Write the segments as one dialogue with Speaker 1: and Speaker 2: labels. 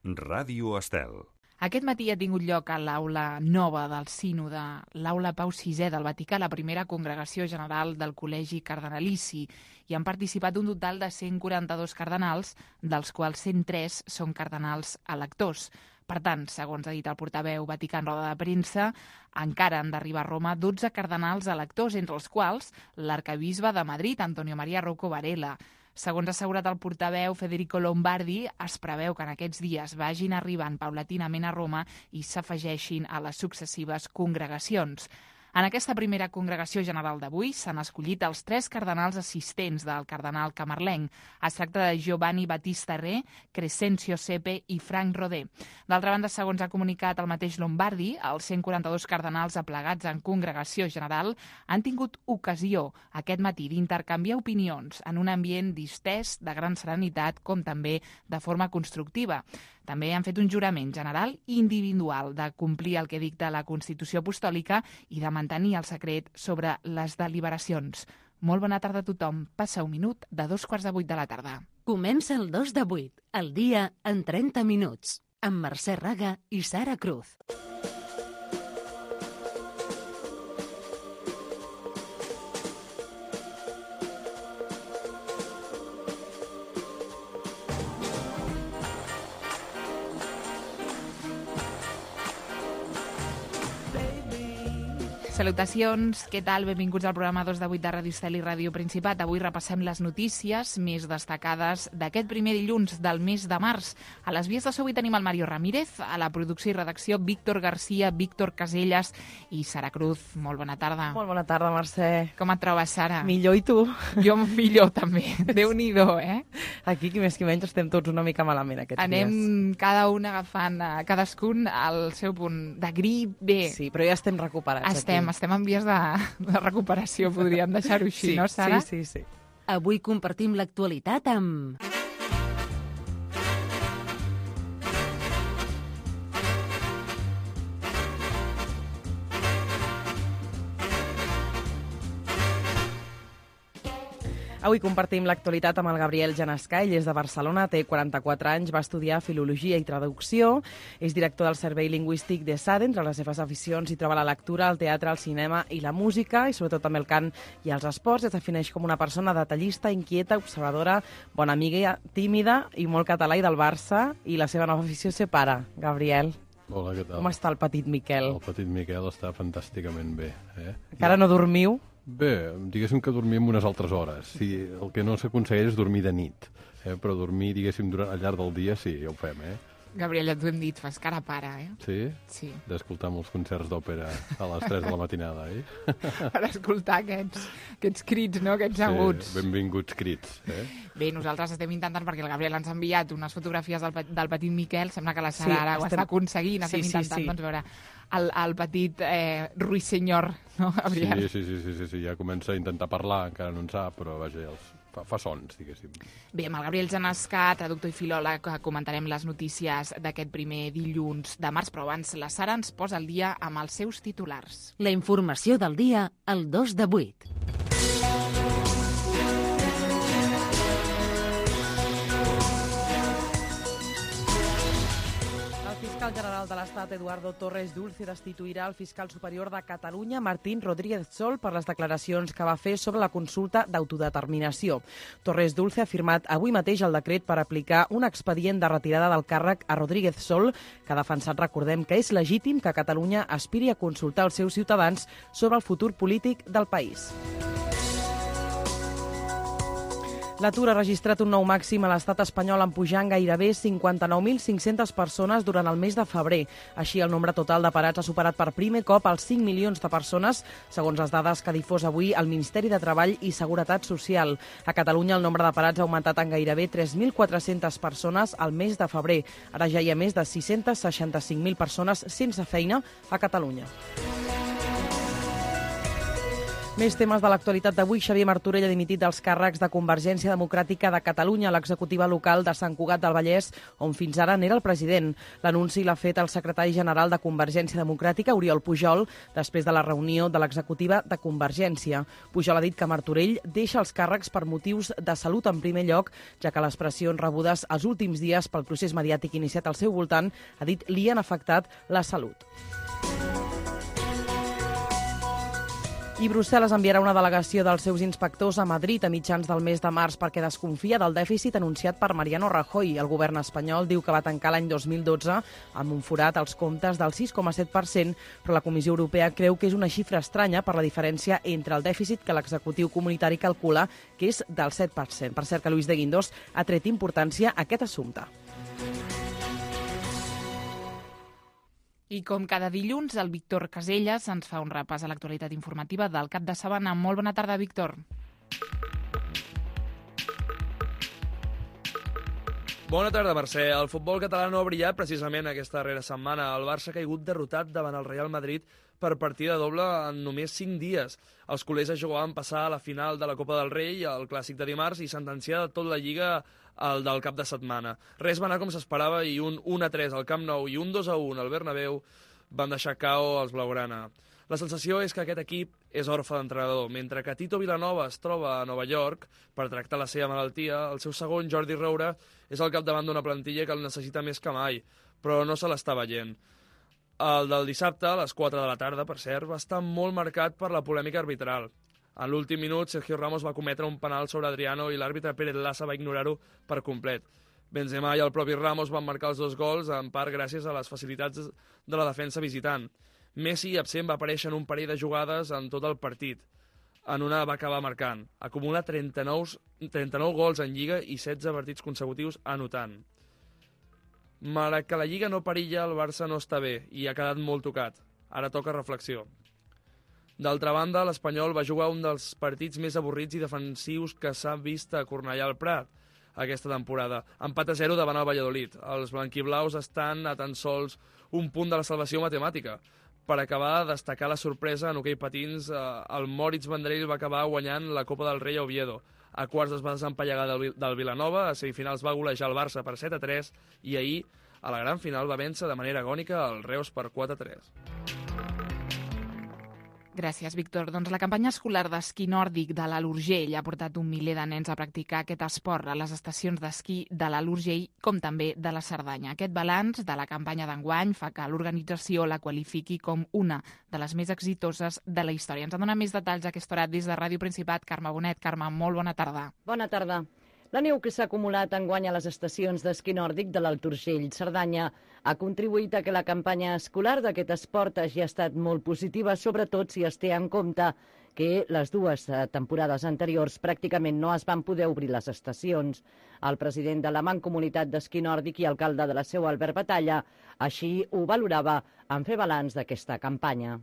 Speaker 1: Ràdio Estel.
Speaker 2: Aquest matí ha tingut lloc a l'aula nova del Sínode, l'aula Pau VI del Vaticà, la primera congregació general del Col·legi Cardenalici, i han participat un total de 142 cardenals, dels quals 103 són cardenals electors. Per tant, segons ha dit el portaveu vaticà en roda de premsa, encara han d'arribar a Roma 12 cardenals electors, entre els quals l'arcabisbe de Madrid, Antonio María Rocco Varela. Segons ha assegurat el portaveu Federico Lombardi, es preveu que en aquests dies vagin arribant paulatinament a Roma i s'afegeixin a les successives congregacions. En aquesta primera congregació general d'avui s'han escollit els 3 cardenals assistents del cardenal camarlenc. Es tracta de Giovanni Battista Re, Crescencio Sepe i Frank Rodé. D'altra banda, segons ha comunicat el mateix Lombardi, els 142 cardenals aplegats en congregació general han tingut ocasió aquest matí d'intercanviar opinions en un ambient distès, de gran serenitat, com també de forma constructiva. També han fet un jurament general i individual de complir el que dicta la Constitució Apostòlica i de mantenir el secret sobre les deliberacions. Molt bona tarda a tothom. Passa un minut de 7:45 de la tarda.
Speaker 3: Comença el 2 de 8, el dia en 30 minuts, amb Mercè Raga i Sara Cruz.
Speaker 2: Salutacions, què tal? Benvinguts al programa 2 de 8 de Ràdio Estel i Ràdio Principat. Avui repassem les notícies més destacades d'aquest primer dilluns del mes de març. A les vies de so avui tenim el Mario Ramírez, a la producció i redacció Víctor Garcia, Víctor Casellas i Sara Cruz. Molt bona tarda.
Speaker 4: Molt bona tarda, Mercè.
Speaker 2: Com et trobes, Sara?
Speaker 4: Millor, i tu?
Speaker 2: Jo millor, també. Déu-n'hi-do, eh?
Speaker 4: Aquí, qui més qui menys, estem tots una mica malament aquests dies.
Speaker 2: Anem cada un agafant cadascun al seu punt de grip. Bé,
Speaker 4: sí, però ja estem recuperats.
Speaker 2: Estem en vies de recuperació, podríem deixar-ho així,
Speaker 4: sí,
Speaker 2: no, Sara?
Speaker 4: Sí.
Speaker 3: Avui compartim l'actualitat amb...
Speaker 4: Avui compartim l'actualitat amb el Gabriel Janesca. Ell és de Barcelona, té 44 anys, va estudiar Filologia i Traducció, és director del Servei Lingüístic de SADE. Entre les seves aficions hi troba la lectura, el teatre, el cinema i la música, i sobretot també el cant i els esports. Es defineix com una persona detallista, inquieta, observadora, bona amiga, tímida i molt català i del Barça, i la seva nova afició ser pare. Gabriel.
Speaker 5: Hola, què tal?
Speaker 4: Com està el petit Miquel?
Speaker 5: El petit Miquel està fantàsticament bé.
Speaker 4: Encara no dormiu?
Speaker 5: Bé, diguéssim que dormim unes altres hores. Sí, el que no s'aconsegueix és dormir de nit, però dormir, diguéssim, al llarg del dia sí, ja ho fem,
Speaker 2: Gabriel, ja t'ho hem dit, fas cara pare,
Speaker 5: Sí?
Speaker 2: Sí.
Speaker 5: D'escoltar molts concerts d'òpera a les 3 de la matinada,
Speaker 2: Per escoltar aquests crits, no?, aquests aguts.
Speaker 5: Sí, benvinguts crits,
Speaker 2: Bé, nosaltres estem intentant, perquè el Gabriel ens ha enviat unes fotografies del petit Miquel, sembla que la Sara ara ho està aconseguint, estem intentant, doncs, veure el petit ruissenyor, no, Gabriel?
Speaker 5: Sí, ja comença a intentar parlar, encara no en sap, però vaja, fa sons, diguéssim.
Speaker 2: Bé, amb el Gabriel Janesca, traductor i filòleg, comentarem les notícies d'aquest primer dilluns de març, però abans la Sara ens posa al dia amb els seus titulars.
Speaker 3: La informació del dia, el 2 de 8.
Speaker 4: El fiscal general de l'Estat, Eduardo Torres Dulce, destituirà el fiscal superior de Catalunya, Martín Rodríguez Sol, per les declaracions que va fer sobre la consulta d'autodeterminació. Torres Dulce ha firmat avui mateix el decret per aplicar un expedient de retirada del càrrec a Rodríguez Sol, que ha defensat, recordem, que és legítim que Catalunya aspiri a consultar els seus ciutadans sobre el futur polític del país. L'atur ha registrat un nou màxim a l'estat espanyol, en pujant gairebé 59.500 persones durant el mes de febrer. Així, el nombre total de parats ha superat per primer cop els 5 milions de persones, segons les dades que ha difós avui el Ministeri de Treball i Seguretat Social. A Catalunya, el nombre de parats ha augmentat en gairebé 3.400 persones al mes de febrer. Ara ja hi ha més de 665.000 persones sense feina a Catalunya. Més temes de l'actualitat d'avui. Xavier Martorell ha dimitit dels càrrecs de Convergència Democràtica de Catalunya a l'executiva local de Sant Cugat del Vallès, on fins ara n'era el president. L'anunci l'ha fet el secretari general de Convergència Democràtica, Oriol Pujol, després de la reunió de l'executiva de Convergència. Pujol ha dit que Martorell deixa els càrrecs per motius de salut en primer lloc, ja que les pressions rebudes els últims dies pel procés mediàtic iniciat al seu voltant, ha dit, li han afectat la salut. I Brussel·les enviarà una delegació dels seus inspectors a Madrid a mitjans del mes de març perquè desconfia del dèficit anunciat per Mariano Rajoy. El govern espanyol diu que va tancar l'any 2012 amb un forat als comptes del 6,7%, però la Comissió Europea creu que és una xifra estranya per la diferència entre el dèficit que l'executiu comunitari calcula, que és del 7%. Per cert que Luis de Guindos ha tret importància a aquest assumpte.
Speaker 2: I com cada dilluns, el Víctor Caselles ens fa un repàs a l'actualitat informativa del cap de setmana. Molt bona tarda, Víctor.
Speaker 1: Bona tarda, Mercè. El futbol català no ha brillat precisament aquesta darrera setmana. El Barça ha caigut derrotat davant el Real Madrid per partida doble en només 5 dies. Els culers es jugaven passar a la final de la Copa del Rei, el clàssic de dimarts, i sentenciar de tot la Lliga el del cap de setmana. Res va anar com s'esperava i un 1-3 al Camp Nou i un 2-1 al Bernabéu van deixar cao als blaugrana. La sensació és que aquest equip és orfe d'entrenador. Mentre que Tito Vilanova es troba a Nova York per tractar la seva malaltia, el seu segon, Jordi Roure, és al capdavant d'una plantilla que el necessita més que mai, però no se l'està veient. El del dissabte, a les 4 de la tarda, per cert, va estar molt marcat per la polèmica arbitral. En l'últim minut, Sergio Ramos va cometre un penal sobre Adriano i l'àrbitre Pérez Lassa va ignorar-ho per complet. Benzema i el propi Ramos van marcar els 2 gols, en part gràcies a les facilitats de la defensa visitant. Messi, absent, va aparèixer en un parell de jugades en tot el partit. En una va acabar marcant. Acumula 39 gols en Lliga i 16 partits consecutius anotant. Malgrat que la Lliga no perilla, el Barça no està bé i ha quedat molt tocat. Ara toca reflexió. D'altra banda, l'Espanyol va jugar un dels partits més avorrits i defensius que s'ha vist a Cornellà al Prat aquesta temporada. Empat a 0 davant el Valladolid. Els blanquiblaus estan a tan sols un punt de la salvació matemàtica. Per acabar, destacar la sorpresa en hoquei patins, el Moritz Vendrell va acabar guanyant la Copa del Rei a Oviedo. A quarts es va desempallegar del Vilanova, a semifinals va golejar el Barça per 7-3 i ahir, a la gran final, va vèncer de manera agònica el Reus per 4-3.
Speaker 2: Gràcies, Víctor. Doncs la campanya escolar d'esquí nòrdic de l'Alt Urgell ha portat un miler de nens a practicar aquest esport a les estacions d'esquí de l'Alt Urgell, com també de la Cerdanya. Aquest balanç de la campanya d'enguany fa que l'organització la qualifiqui com una de les més exitoses de la història. Ens en dona més detalls a aquesta hora des de Ràdio Principat. Carme Bonet. Carme, molt bona tarda.
Speaker 6: Bona tarda. La neu que s'ha acumulat enguany a les estacions d'esquí nòrdic de l'Alt Urgell, Cerdanya, ha contribuït a que la campanya escolar d'aquest esport hagi estat molt positiva, sobretot si es té en compte que les 2 temporades anteriors pràcticament no es van poder obrir les estacions. El president de la Mancomunitat d'Esquí Nòrdic i alcalde de la Seu, Albert Batalla, així ho valorava en fer balanç d'aquesta campanya.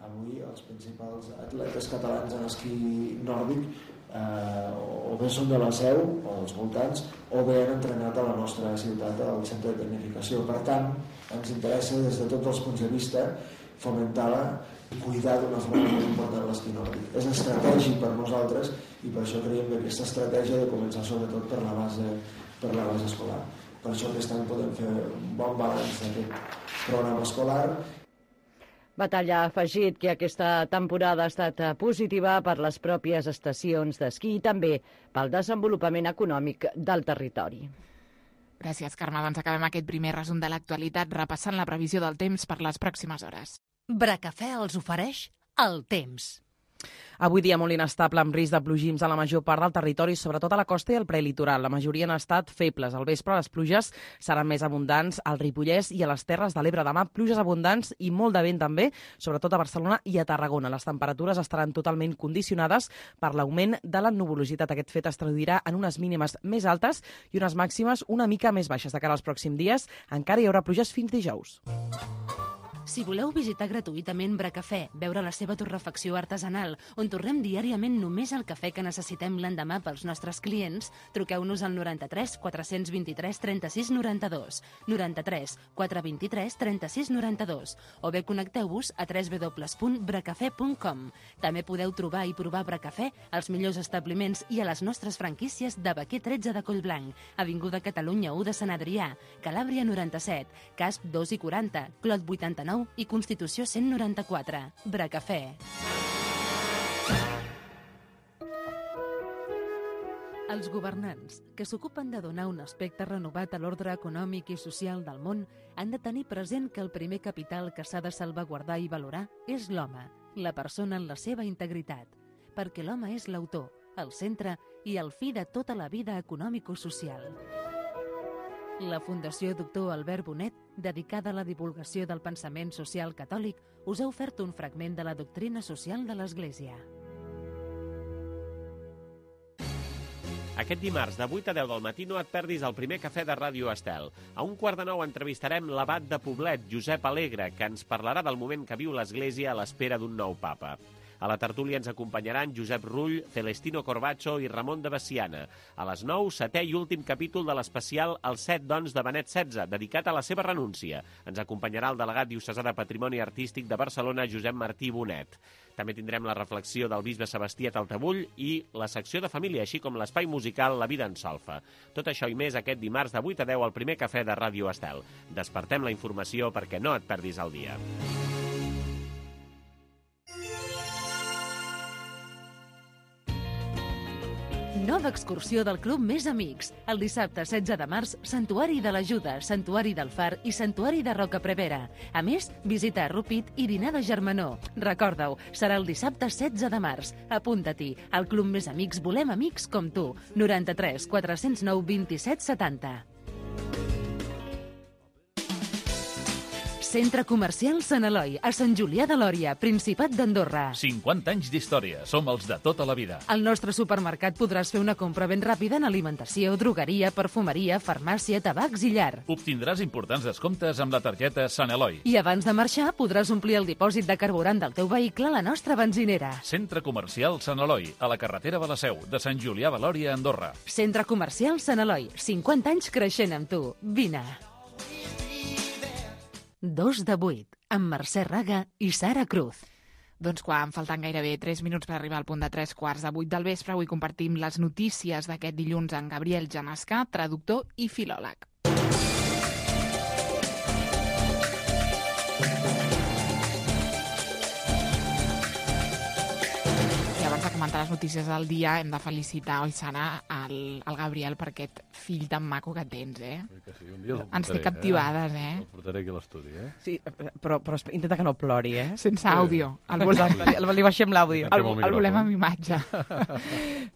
Speaker 7: Avui els principals atletes catalans en esquí nòrdic o bé són de la Seu o dels voltants o bé han entrenat a la nostra ciutat al centre de tecnificació. Per tant, ens interessa des de tots els punts de vista fomentar-la i cuidar d'una forma molt important l'esquí nòrdic. És estratègic per nosaltres i per això creiem que aquesta estratègia de començar sobretot per la base escolar. Per això aquest any podem fer un bon balanç d'aquest programa escolar.
Speaker 6: Batalla ha afegit que aquesta temporada ha estat positiva per les pròpies estacions d'esquí i també pel desenvolupament econòmic del territori.
Speaker 2: Gràcies, Carme. Doncs acabem aquest primer resum de l'actualitat repassant la previsió del temps per les pròximes hores.
Speaker 3: Bracafè els ofereix el temps.
Speaker 4: Avui dia molt inestable, amb risc de plogims a la major part del territori, sobretot a la costa i al prelitoral. La majoria han estat febles. Al vespre les pluges seran més abundants al Ripollès i a les Terres de l'Ebre. Demà pluges abundants i molt de vent també, sobretot a Barcelona i a Tarragona. Les temperatures estaran totalment condicionades per l'augment de la nuvolositat. Aquest fet es traduirà en unes mínimes més altes i unes màximes una mica més baixes. De cara als pròxims dies encara hi haurà pluges fins dijous.
Speaker 3: Si voleu visitar gratuïtament Bracafè, veure la seva torrefacció artesanal, on torrem diàriament només el cafè que necessitem l'endemà pels nostres clients, truqueu-nos al 93 423 36 92, 93 423 36 92, o bé connecteu-vos a www.bracafè.com. També podeu trobar i provar Bracafè als millors establiments i a les nostres franquícies de Baquer 13 de Collblanc, Avinguda Catalunya 1 de Sant Adrià, Calàbria 97, Casp 2 i 40, Clot 89 i Constitució 194. Bracafè. Els governants, que s'ocupen de donar un aspecte renovat a l'ordre econòmic i social del món, han de tenir present que el primer capital que s'ha de salvaguardar i valorar és l'home, la persona en la seva integritat, perquè l'home és l'autor, el centre i el fi de tota la vida econòmico-social. La Fundació Doctor Albert Bonet, dedicada a la divulgació del pensament social catòlic, us ha ofert un fragment de la doctrina social de l'Església.
Speaker 8: Aquest dimarts, de 8 a 10 del matí, no et perdis el primer cafè de Ràdio Estel. A 1:15 entrevistarem l'abat de Poblet, Josep Alegre, que ens parlarà del moment que viu l'Església a l'espera d'un nou papa. A la tertúlia ens acompanyaran Josep Rull, Celestino Corbacho i Ramon de Veciana. A les 9, 7è i últim capítol de l'especial Els 7 dons de Benet XVI, dedicat a la seva renúncia. Ens acompanyarà el delegat diocesà de Patrimoni Artístic de Barcelona, Josep Martí Bonet. També tindrem la reflexió del bisbe Sebastià Taltabull i la secció de família, així com l'espai musical La vida en solfa. Tot això i més aquest dimarts de 8 a 10 al primer cafè de Ràdio Estel. Despertem la informació perquè no et perdis el dia.
Speaker 3: Nova excursió del Club Més Amics. El dissabte 16 de març, Santuari de l'Ajuda, Santuari del Far i Santuari de Roca Prevera. A més, visita a Rupit i dinar de germanor. Recorda-ho, serà el dissabte 16 de març. Apunta-t'hi. Al Club Més Amics volem amics com tu. 93 409 27 70. Centre Comercial Sant Eloi, a Sant Julià de Lòria, Principat d'Andorra.
Speaker 9: 50 anys d'història, som els de tota la vida.
Speaker 3: Al nostre supermercat podràs fer una compra ben ràpida en alimentació, drogueria, perfumeria, farmàcia, tabacs i llar.
Speaker 9: Obtindràs importants descomptes amb la targeta Sant Eloi.
Speaker 3: I abans de marxar podràs omplir el dipòsit de carburant del teu vehicle a la nostra benzinera.
Speaker 9: Centre Comercial Sant Eloi, a la carretera de la Seu, de Sant Julià de Lòria, Andorra.
Speaker 3: Centre Comercial Sant Eloi, 50 anys creixent amb tu. Vine. 2 de 8, amb Mercè Raga i Sara Cruz.
Speaker 2: Doncs quan falten gairebé 3 minuts per arribar al punt de 3:15 del vespre, avui compartim les notícies d'aquest dilluns amb Gabriel Janescà, traductor i filòleg. Abans de comentar les notícies del dia, hem de felicitar, oi, Sara, el Gabriel per aquest fill tan maco que tens, eh?
Speaker 5: Que sí, un dia el portaré,
Speaker 2: ens té captivades, eh?
Speaker 5: El portaré aquí a l'estudi, eh?
Speaker 4: Sí, però intenta que no plori, eh?
Speaker 2: Sense àudio.
Speaker 4: Li baixem l'àudio.
Speaker 2: El volem amb imatge.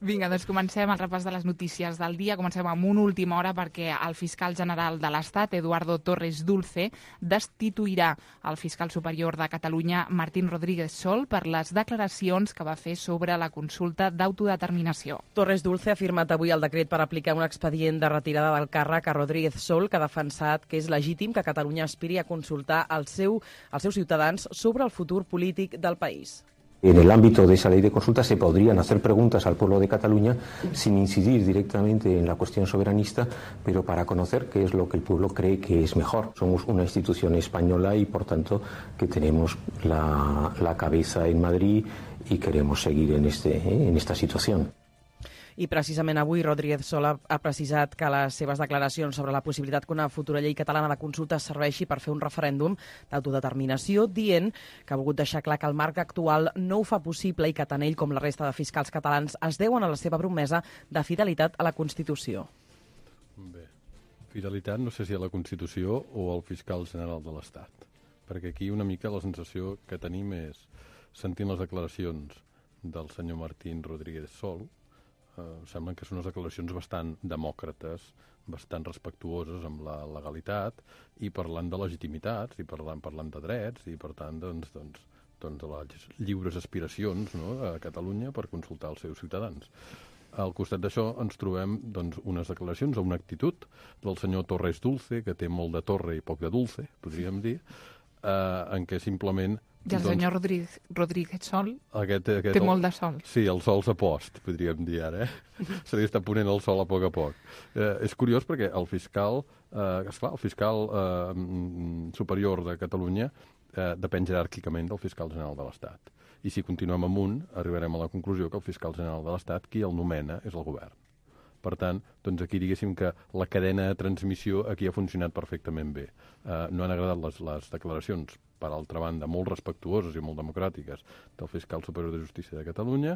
Speaker 2: Vinga, doncs comencem el repàs de les notícies del dia. Comencem amb una última hora perquè el fiscal general de l'Estat, Eduardo Torres Dulce, destituirà el fiscal superior de Catalunya, Martín Rodríguez Sol, per les declaracions que va fer sobre la consulta d'autodeterminació.
Speaker 4: Torres Dulce ha firmat avui el decret per aplicar un expedient de retirada del càrrec a Rodríguez Sol, que ha defensat que és legítim que Catalunya aspiri a consultar als seus ciutadans sobre el futur polític del país.
Speaker 10: En el ámbito de esa ley de consulta se podrían hacer preguntas al pueblo de Cataluña sin incidir directamente en la cuestión soberanista, pero para conocer qué es lo que el pueblo cree que es mejor. Somos una institución española y, por tanto, que tenemos la cabeza en Madrid y queremos seguir en esta situación.
Speaker 4: I precisament avui Rodríguez Sol ha precisat que les seves declaracions sobre la possibilitat que una futura llei catalana de consulta serveixi per fer un referèndum d'autodeterminació, dient que ha volgut deixar clar que el marc actual no ho fa possible i que tant ell com la resta de fiscals catalans es deuen a la seva promesa de fidelitat a la Constitució.
Speaker 5: Bé, fidelitat no sé si a la Constitució o al fiscal general de l'Estat, perquè aquí una mica la sensació que tenim és, sentint les declaracions del senyor Martín Rodríguez Sol, semblen que són unes declaracions bastant demòcrates, bastant respectuoses amb la legalitat i parlant de legitimitats i parlant de drets i, per tant, de les lliures aspiracions, no, a Catalunya per consultar els seus ciutadans. Al costat d'això ens trobem unes declaracions o una actitud del senyor Torres Dulce, que té molt de torre i poc de dulce, podríem dir, en què simplement...
Speaker 2: I el senyor Rodríguez Sol té molt de sol.
Speaker 5: Sí, el sol s'ha post, podríem dir ara. Se li està ponent el sol a poc. És curiós perquè el fiscal, esclar, el fiscal superior de Catalunya depèn jeràrquicament del fiscal general de l'Estat. I si continuem amunt, arribarem a la conclusió que el fiscal general de l'Estat, qui el nomena, és el govern. Per tant, doncs aquí diguéssim que la cadena de transmissió aquí ha funcionat perfectament bé. No han agradat les declaracions, per altra banda, molt respectuoses i molt democràtiques del fiscal superior de Justícia de Catalunya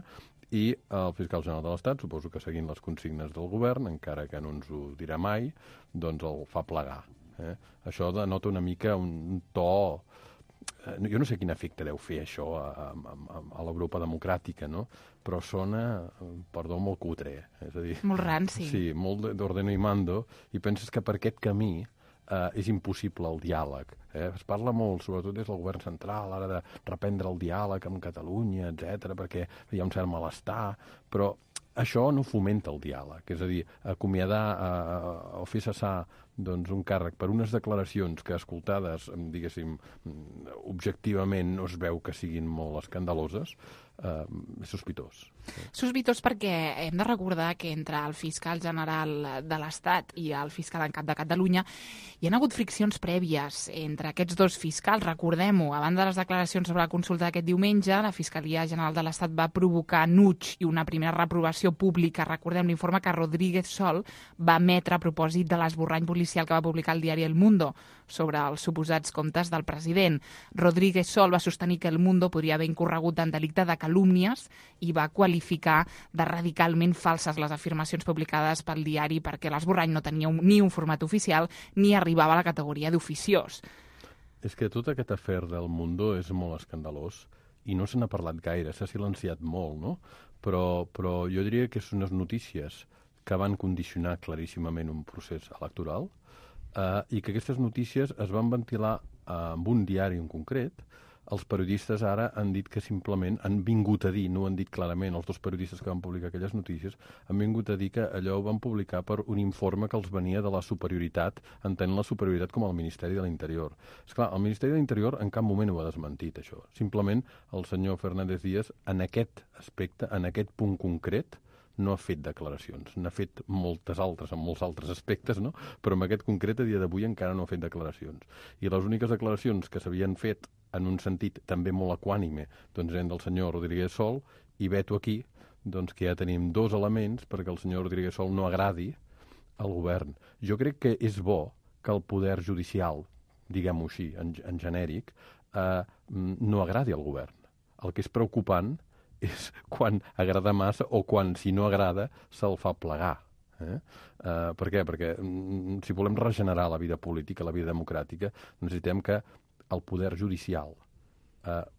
Speaker 5: i el fiscal general de l'Estat, suposo que seguint les consignes del govern, encara que no ens ho dirà mai, doncs el fa plegar. Això denota una mica un to... Jo no sé quin efecte deu fer això a l'Europa democràtica, no? Però sona, perdó, molt cutre. És a dir,
Speaker 2: molt ranci.
Speaker 5: Sí, molt d'ordeno i mando, i penses que per aquest camí és impossible el diàleg. Es parla molt, sobretot des del govern central, ara de reprendre el diàleg amb Catalunya, etc, perquè hi ha un cert malestar, però això no fomenta el diàleg. És a dir, acomiadar o fer cessar un càrrec per unes declaracions que, escoltades, diguéssim, objectivament no es veu que siguin molt escandaloses, és sospitós.
Speaker 2: Sospitós perquè hem de recordar que entre el fiscal general de l'Estat i el fiscal en cap de Catalunya hi ha hagut friccions prèvies entre aquests dos fiscals. Recordem-ho, a banda de les declaracions sobre la consulta d'aquest diumenge, la Fiscalia General de l'Estat va provocar nuig i una primera reprovació pública. Recordem l'informe que Rodríguez Sol va emetre a propòsit de l'esborrany policial que va publicar el diari El Mundo sobre els suposats comptes del president. Rodríguez Sol va sostenir que El Mundo podria haver incorregut en delicte de calúmnies i va qualificar de radicalment falses les afirmacions publicades pel diari perquè l'esborrany no tenia ni un format oficial ni arribava a la categoria d'oficiós.
Speaker 5: És que tot aquest afer del Mundo és molt escandalós i no se n'ha parlat gaire, s'ha silenciat molt, no? Però jo diria que són unes notícies que van condicionar claríssimament un procés electoral i que aquestes notícies es van ventilar amb un diari en concret. Els periodistes ara han dit que simplement han vingut a dir, no ho han dit clarament, els dos periodistes que van publicar aquelles notícies, han vingut a dir que allò ho van publicar per un informe que els venia de la superioritat, entenent la superioritat com el Ministeri de l'Interior. Esclar, el Ministeri de l'Interior en cap moment ho ha desmentit, això. Simplement el senyor Fernández Díaz, en aquest aspecte, en aquest punt concret, no ha fet declaracions. N'ha fet moltes altres, en molts altres aspectes, no? Però en aquest concret, a dia d'avui, encara no ha fet declaracions. I les úniques declaracions que s'havien fet en un sentit també molt equànime, doncs eren del senyor Rodríguez Sol, i veto aquí, doncs que ja tenim dos elements perquè el senyor Rodríguez Sol no agradi al govern. Jo crec que és bo que el poder judicial, diguem-ho així, en genèric, no agradi al govern. El que és preocupant és quan agrada massa o quan, si no agrada, se'l fa plegar. Per què? Perquè si volem regenerar la vida política, la vida democràtica, necessitem que el poder judicial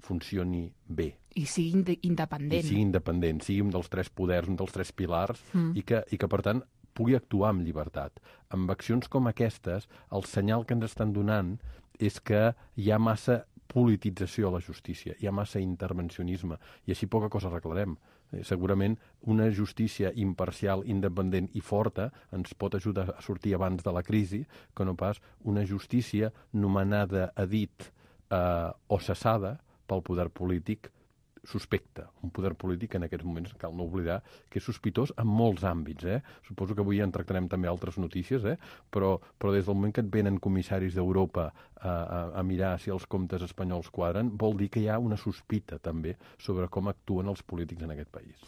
Speaker 5: funcioni bé.
Speaker 2: I sigui independent.
Speaker 5: I sigui independent, sigui un dels tres poders, un dels tres pilars, i que, per tant, pugui actuar amb llibertat. Amb accions com aquestes, el senyal que ens estan donant és que hi ha massa politització a la justícia, hi ha massa intervencionisme, i així poca cosa arreglarem. Segurament una justícia imparcial, independent i forta ens pot ajudar a sortir abans de la crisi que no pas una justícia nomenada a dit o cessada pel poder polític suspecte. Un poder polític en aquests moments, cal no oblidar, que és sospitós en molts àmbits. Suposo que avui en tractarem també altres notícies, però des del moment que et venen comissaris d'Europa a mirar si els comptes espanyols quadren, vol dir que hi ha una sospita també sobre com actuen els polítics en aquest país.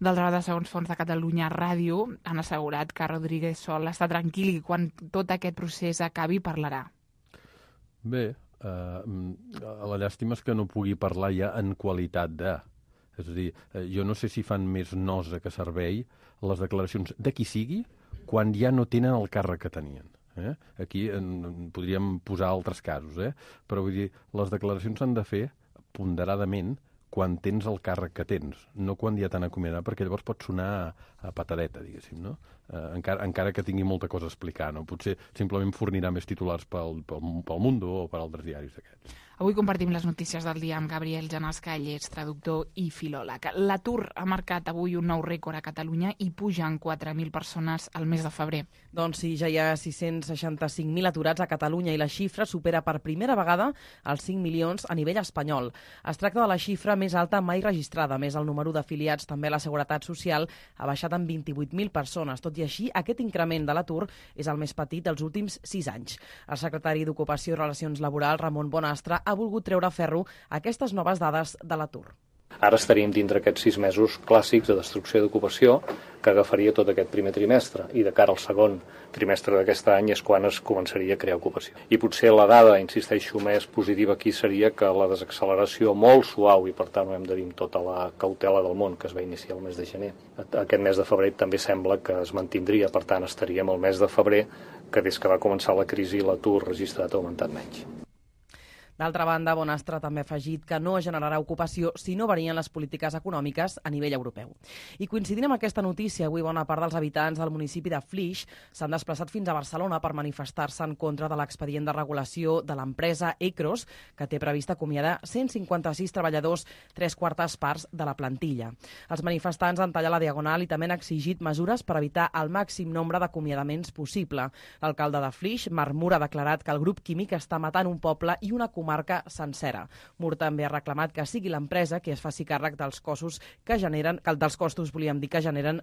Speaker 2: D'altra banda, segons Fons de Catalunya Ràdio, han assegurat que Rodríguez Sol està tranquil i quan tot aquest procés acabi parlarà.
Speaker 5: Bé, la llàstima és que no pugui parlar ja en qualitat de... És a dir, jo no sé si fan més nosa que servei les declaracions de qui sigui quan ja no tenen el càrrec que tenien. Aquí podríem posar altres casos, però vull dir, les declaracions s'han de fer ponderadament quan tens el càrrec que tens, no quan ja t'han acomiadat, perquè llavors pot sonar a patadeta, diguéssim, no? Encara que tingui molta cosa a explicar, no? Potser simplement fornirà més titulars pel Mundo o per altres diaris d'aquests.
Speaker 2: Avui compartim les notícies del dia amb Gabriel Janasca, ell és traductor i filòleg. L'atur ha marcat avui un nou rècord a Catalunya i pugen 4.000 persones al mes de febrer.
Speaker 4: Doncs sí, ja hi ha 665.000 aturats a Catalunya i la xifra supera per primera vegada els 5 milions a nivell espanyol. Es tracta de la xifra més alta mai registrada. A més, el número d'afiliats també a la Seguretat Social ha baixat en 28.000 persones. Tot i així, aquest increment de l'atur és el més petit dels últims 6 anys. El secretari d'Ocupació i Relacions Laborals, Ramon Bonastre, ha volgut treure ferro aquestes noves dades de l'atur.
Speaker 11: Ara estaríem dintre aquests 6 mesos clàssics de destrucció d'ocupació que agafaria tot aquest primer trimestre i de cara al segon trimestre d'aquest any és quan es començaria a crear ocupació. I potser la dada, insisteixo, més positiva aquí seria que la desacceleració molt suau i per tant ho hem de dir amb tota la cautela del món que es va iniciar el mes de gener. Aquest mes de febrer també sembla que es mantindria, per tant estaríem al mes de febrer que des que va començar la crisi l'atur registrat ha augmentat menys.
Speaker 4: D'altra banda, Bonastre també ha afegit que no generarà ocupació si no varien les polítiques econòmiques a nivell europeu. I coincidint amb aquesta notícia, avui bona part dels habitants del municipi de Flix s'han desplaçat fins a Barcelona per manifestar-se en contra de l'expedient de regulació de l'empresa Ecros, que té previst acomiadar 156 treballadors, 3/4 parts de la plantilla. Els manifestants han tallat la diagonal i també han exigit mesures per evitar el màxim nombre d'acomiadaments possible. L'alcalde de Flix, Marc Mur, ha declarat que el grup químic està matant un poble i una comarca sencera. Mur també ha reclamat que sigui l'empresa qui es faci càrrec dels costos que generen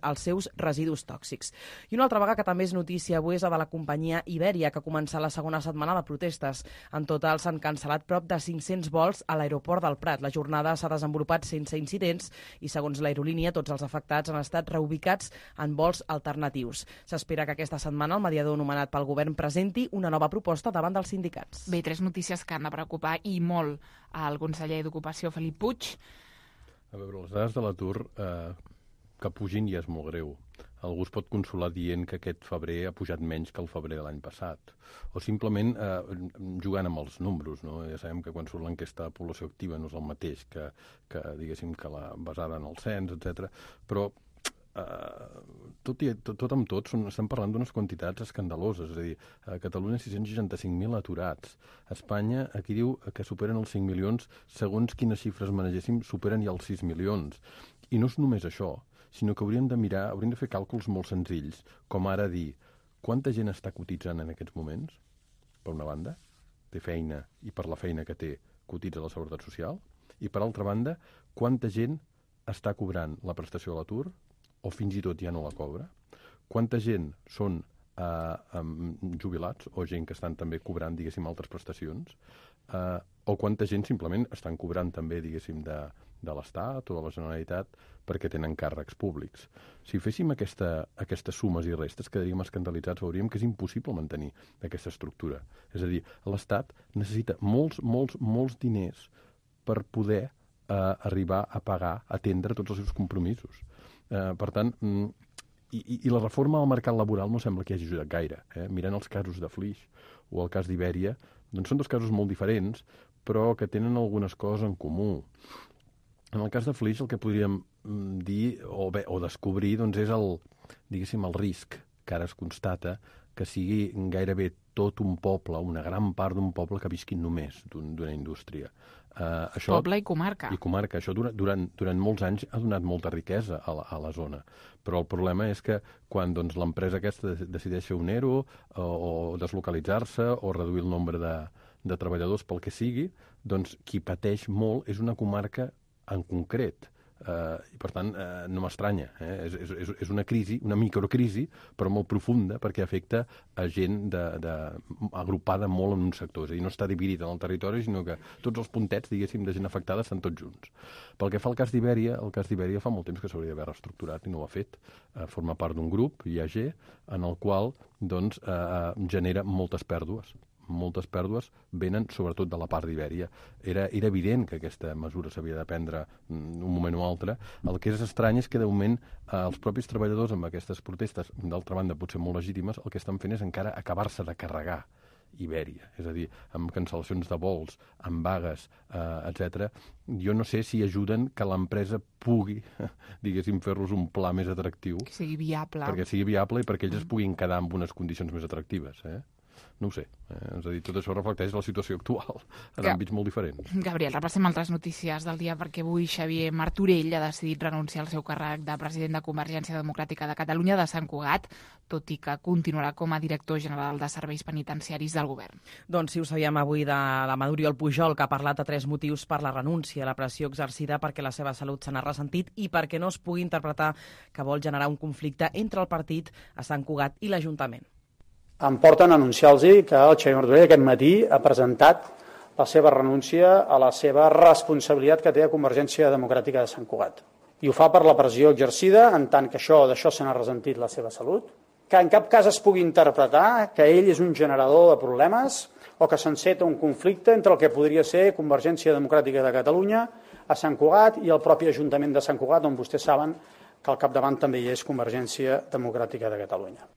Speaker 4: els seus residus tòxics. I una altra vaga que també és notícia avui és la de la companyia Iberia, que comença la segona setmana de protestes. En total s'han cancel·lat prop de 500 vols a l'aeroport del Prat. La jornada s'ha desenvolupat sense incidents i, segons l'aerolínia, tots els afectats han estat reubicats en vols alternatius. S'espera que aquesta setmana el mediador nomenat pel govern presenti una nova proposta davant dels sindicats.
Speaker 2: Bé, 3 notícies que han de preocupar i molt al conseller d'Ocupació, Felip Puig.
Speaker 5: A veure, les dades de l'atur que pugin ja és molt greu. Algú es pot consolar dient que aquest febrer ha pujat menys que el febrer de l'any passat. O simplement jugant amb els números, no? Ja sabem que quan surt l'enquesta de població activa no és el mateix que diguéssim, que la basada en el cens, etc. Però tot amb tot estem parlant d'unes quantitats escandaloses. És a dir, a Catalunya 665.000 aturats. A Espanya, aquí diu que superen els 5 milions, segons quines xifres manegéssim, superen ja els 6 milions. I no és només això, sinó que hauríem de fer càlculs molt senzills, com ara dir quanta gent està cotitzant en aquests moments, per una banda, té feina i per la feina que té cotitza la Seguretat Social, i per altra banda, quanta gent està cobrant la prestació de l'atur o fins i tot ja no la cobra, quanta gent són jubilats o gent que estan també cobrant, diguéssim, altres prestacions, o quanta gent simplement estan cobrant també, diguéssim, de l'Estat o de la Generalitat perquè tenen càrrecs públics. Si féssim aquestes sumes i restes, quedaríem escandalitzats, veuríem que és impossible mantenir aquesta estructura. És a dir, l'Estat necessita molts diners per poder arribar a pagar, a atendre tots els seus compromisos. Per tant, i la reforma del mercat laboral no sembla que hagi ajudat gaire. Mirant els casos de Flix o el cas d'Iberia, doncs són dos casos molt diferents, però que tenen algunes coses en comú. En el cas de Flix, el que podríem dir o descobrir doncs és el risc que ara es constata que sigui gairebé tot un poble, una gran part d'un poble que visqui només d'una indústria.
Speaker 2: Poble i comarca.
Speaker 5: I comarca. Això durant molts anys ha donat molta riquesa a la zona. Però el problema és que quan l'empresa aquesta decideix fer un ERO o deslocalitzar-se o reduir el nombre de treballadors pel que sigui, doncs qui pateix molt és una comarca en concret. I per tant no m'estranya. És una crisi, una microcrisi, però molt profunda perquè afecta a gent agrupada molt en un sector. És a dir, no està dividit en el territori, sinó que tots els puntets, diguéssim, de gent afectada estan tots junts. Pel que fa al cas d'Iberia, fa molt temps que s'hauria d'haver reestructurat i no ho ha fet. Forma part d'un grup, IAG, en el qual genera moltes pèrdues. Moltes pèrdues venen sobretot de la part d'Iberia. Era evident que aquesta mesura s'havia de prendre un moment o altre. El que és estrany és que, de moment, els propis treballadors amb aquestes protestes, d'altra banda potser molt legítimes, el que estan fent és encara acabar-se de carregar Iberia. És a dir, amb cancel·lacions de vols, amb vagues, etc. Jo no sé si ajuden que l'empresa pugui, diguéssim, fer-los un pla més atractiu.
Speaker 2: Que sigui viable.
Speaker 5: Perquè sigui viable i perquè ells es puguin quedar amb unes condicions més atractives, No ho sé. És a dir, tot això reflecteix la situació actual en àmbits molt diferents.
Speaker 2: Gabriel, repassem altres notícies del dia, perquè avui Xavier Martorell ha decidit renunciar al seu càrrec de president de Convergència Democràtica de Catalunya de Sant Cugat, tot i que continuarà com a director general de serveis penitenciaris del govern.
Speaker 4: Doncs sí, ho sabíem avui de Oriol Pujol, que ha parlat de 3 motius per la renúncia, la pressió exercida perquè la seva salut se n'ha ressentit i perquè no es pugui interpretar que vol generar un conflicte entre el partit a Sant Cugat i l'Ajuntament.
Speaker 12: Em porten a anunciar-los que el Xavier Martorell aquest matí ha presentat la seva renúncia a la seva responsabilitat que té a Convergència Democràtica de Sant Cugat. I ho fa per la pressió exercida, en tant que d'això se n'ha ressentit la seva salut, que en cap cas es pugui interpretar que ell és un generador de problemes o que s'enceta un conflicte entre el que podria ser Convergència Democràtica de Catalunya a Sant Cugat i el propi Ajuntament de Sant Cugat, on vostès saben que al capdavant també hi és Convergència Democràtica de Catalunya.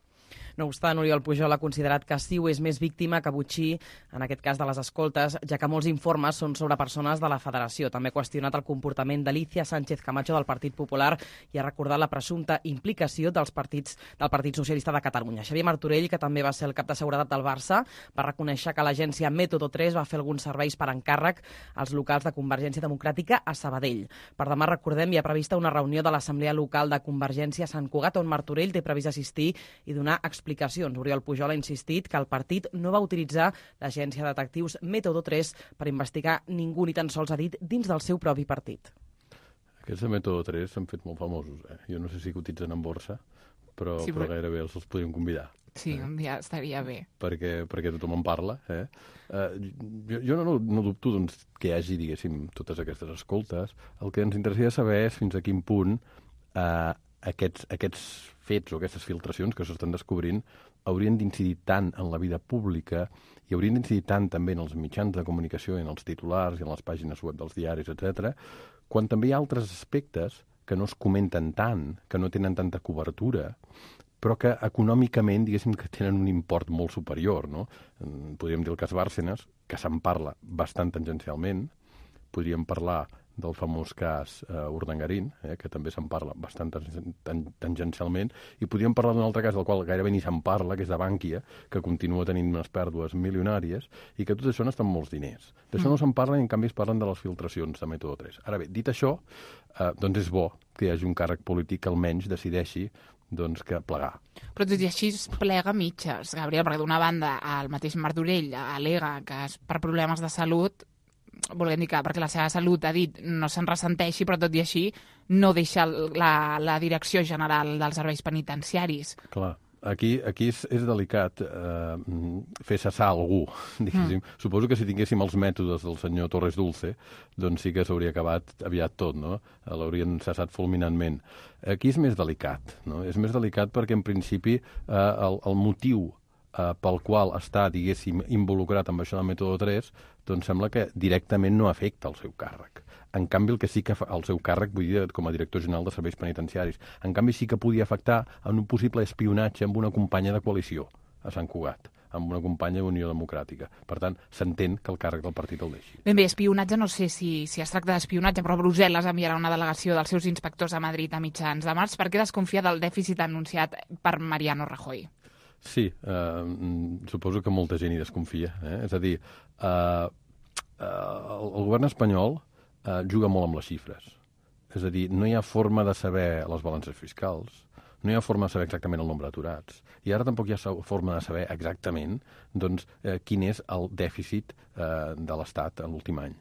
Speaker 4: No obstant, Oriol Pujol ha considerat que Ciu és més víctima que Botxí, en aquest cas de les escoltes, ja que molts informes són sobre persones de la federació. També ha qüestionat el comportament d'Alicia Sánchez Camacho del Partit Popular i ha recordat la presumpta implicació del Partit Socialista de Catalunya. Xavier Martorell, que també va ser el cap de seguretat del Barça, va reconèixer que l'agència Método 3 va fer alguns serveis per encàrrec als locals de Convergència Democràtica a Sabadell. Per demà, recordem, hi ha prevista una reunió de l'Assemblea Local de Convergència a Sant Cugat, on Martorell té previst assistir i donar explicacions. Oriol Pujol ha insistit que el partit no va utilitzar l'agència de detectius Método 3 per investigar ningú, ni tan sols ha dit, dins del seu propi partit.
Speaker 5: Aquests de Método 3 s'han fet molt famosos. Jo no sé si cotitzen en borsa, però gairebé els podríem convidar.
Speaker 2: Sí, un dia estaria bé.
Speaker 5: Perquè tothom en parla. Jo no dubto doncs, que hi hagi, diguéssim, totes aquestes escoltes. El que ens interessaria saber és fins a quin punt aquests fets o aquestes filtracions que s'estan descobrint haurien d'incidir tant en la vida pública i haurien d'incidir tant també en els mitjans de comunicació, en els titulars i en les pàgines web dels diaris, etc., quan també hi ha altres aspectes que no es comenten tant, que no tenen tanta cobertura, però que econòmicament, diguéssim, que tenen un import molt superior, no? Podríem dir el cas Bárcenas, que se'n parla bastant tangencialment, podríem parlar del famós cas Urdangarín, que també se'n parla bastant tangencialment, i podríem parlar d'un altre cas del qual gairebé ni se'n parla, que és de Bànquia, que continua tenint unes pèrdues milionàries, i que tot això no estan molts diners. D'això no se'n parla, i en canvi es parlen de les filtracions de Método 3. Ara bé, dit això, doncs és bo que hi hagi un càrrec polític que almenys decideixi doncs que plegar.
Speaker 2: Però tot i així es plega mitges, Gabriel, perquè d'una banda el mateix Martorell al·lega que és per problemes de salut, volem dir que perquè la seva salut, ha dit, no se'n ressenteixi, però tot i així no deixa la direcció general dels serveis penitenciaris.
Speaker 5: Clar, aquí és delicat fer cessar algú, diguéssim. Suposo que si tinguéssim els mètodes del senyor Torres Dulce, doncs sí que s'hauria acabat aviat tot, no? L'haurien cessat fulminantment. Aquí és més delicat, no? És més delicat perquè, en principi, el motiu pel qual està, diguéssim, involucrat amb això del Método 3, doncs sembla que directament no afecta el seu càrrec. En canvi, el que sí que el seu càrrec, vull dir, com a director general de serveis penitenciaris, en canvi sí que podia afectar en un possible espionatge amb una companya de coalició a Sant Cugat, amb una companya d'Unió Democràtica. Per tant, s'entén que el càrrec del partit el deixi.
Speaker 2: Ben bé, espionatge, no sé si es tracta d'espionatge, però Brussel·les enviarà una delegació dels seus inspectors a Madrid a mitjans de març perquè desconfia del dèficit anunciat per Mariano Rajoy.
Speaker 5: Sí, suposo que molta gent hi desconfia. És a dir, el govern espanyol juga molt amb les xifres. És a dir, no hi ha forma de saber les balances fiscals, no hi ha forma de saber exactament el nombre d'aturats, i ara tampoc hi ha forma de saber exactament doncs, quin és el dèficit de l'Estat en l'últim any.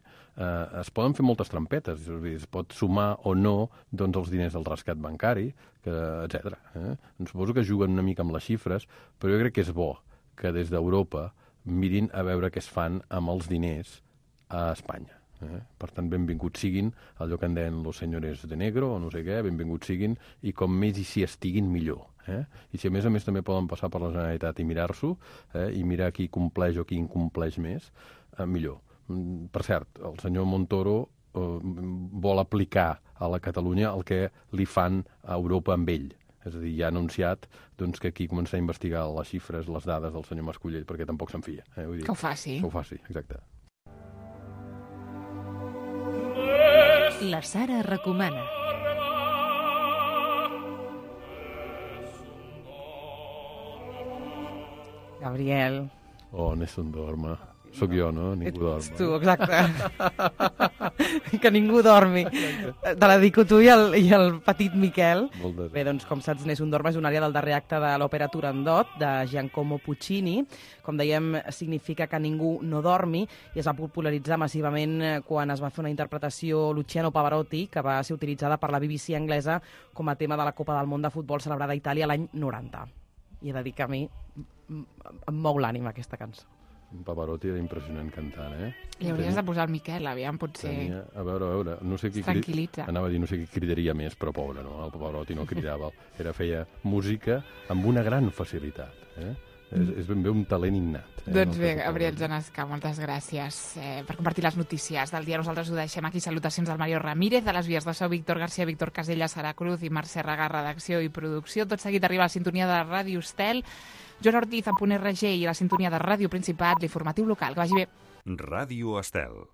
Speaker 5: Es poden fer moltes trampetes, és a dir, es pot sumar o no doncs, els diners del rescat bancari, etc. Suposo que juguen una mica amb les xifres, però jo crec que és bo que des d'Europa mirin a veure què es fan amb els diners a Espanya. Per tant, benvinguts siguin allò que en deien los señores de negro o no sé què, benvinguts siguin, i com més hi s'hi estiguin millor. I si a més també poden passar per la Generalitat i mirar-s'ho, i mirar qui compleix o qui incompleix més, millor. Per cert, el senyor Montoro vol aplicar a la Catalunya el que li fan a Europa amb ell. És a dir, ja ha anunciat doncs, que aquí començarà a investigar les xifres, les dades del senyor Mascolell, perquè tampoc se'n fia. Vull dir,
Speaker 2: que ho faci.
Speaker 5: Que ho faci, exacte.
Speaker 3: La Sara recomana.
Speaker 4: Gabriel,
Speaker 5: Oh, Nessun dorma. Soc jo, no? Ningú dorm.
Speaker 4: Ets tu, exacte. Que ningú dormi. Te la dedico tu i el petit Miquel. Bé, doncs, com saps, Nessun dorma és una àrea del darrer acte de l'òpera Turandot, de Giacomo Puccini. Com dèiem, significa que ningú no dormi, i es va popularitzar massivament quan es va fer una interpretació Luciano Pavarotti, que va ser utilitzada per la BBC anglesa com a tema de la Copa del Món de Futbol celebrada a Itàlia l'any 90. I he de dir que a mi em mou l'ànima aquesta cançó.
Speaker 5: Pavarotti era impressionant cantant, eh?
Speaker 2: Li hauries de posar el Miquel, aviam, potser...
Speaker 5: A veure, no sé qui...
Speaker 2: Tranquil·litza.
Speaker 5: Anava a dir, no sé qui cridaria més, però pobre, no? El Pavarotti no cridava. Feia música amb una gran facilitat, eh? És ben bé un talent innat.
Speaker 2: Doncs bé, Gabriel Genescà, moltes gràcies per compartir les notícies del dia. Nosaltres ho deixem aquí. Salutacions del Mario Ramírez, de les vies de so, Víctor García, Víctor Casella, Sara Cruz i Mercè Regà, redacció i producció. Tot seguit arriba a la sintonia de Ràdio Estel. Joan Ortiz, a .RG, i la sintonia de Ràdio Principat, l'informatiu local. Que vagi bé.
Speaker 13: Ràdio Estel.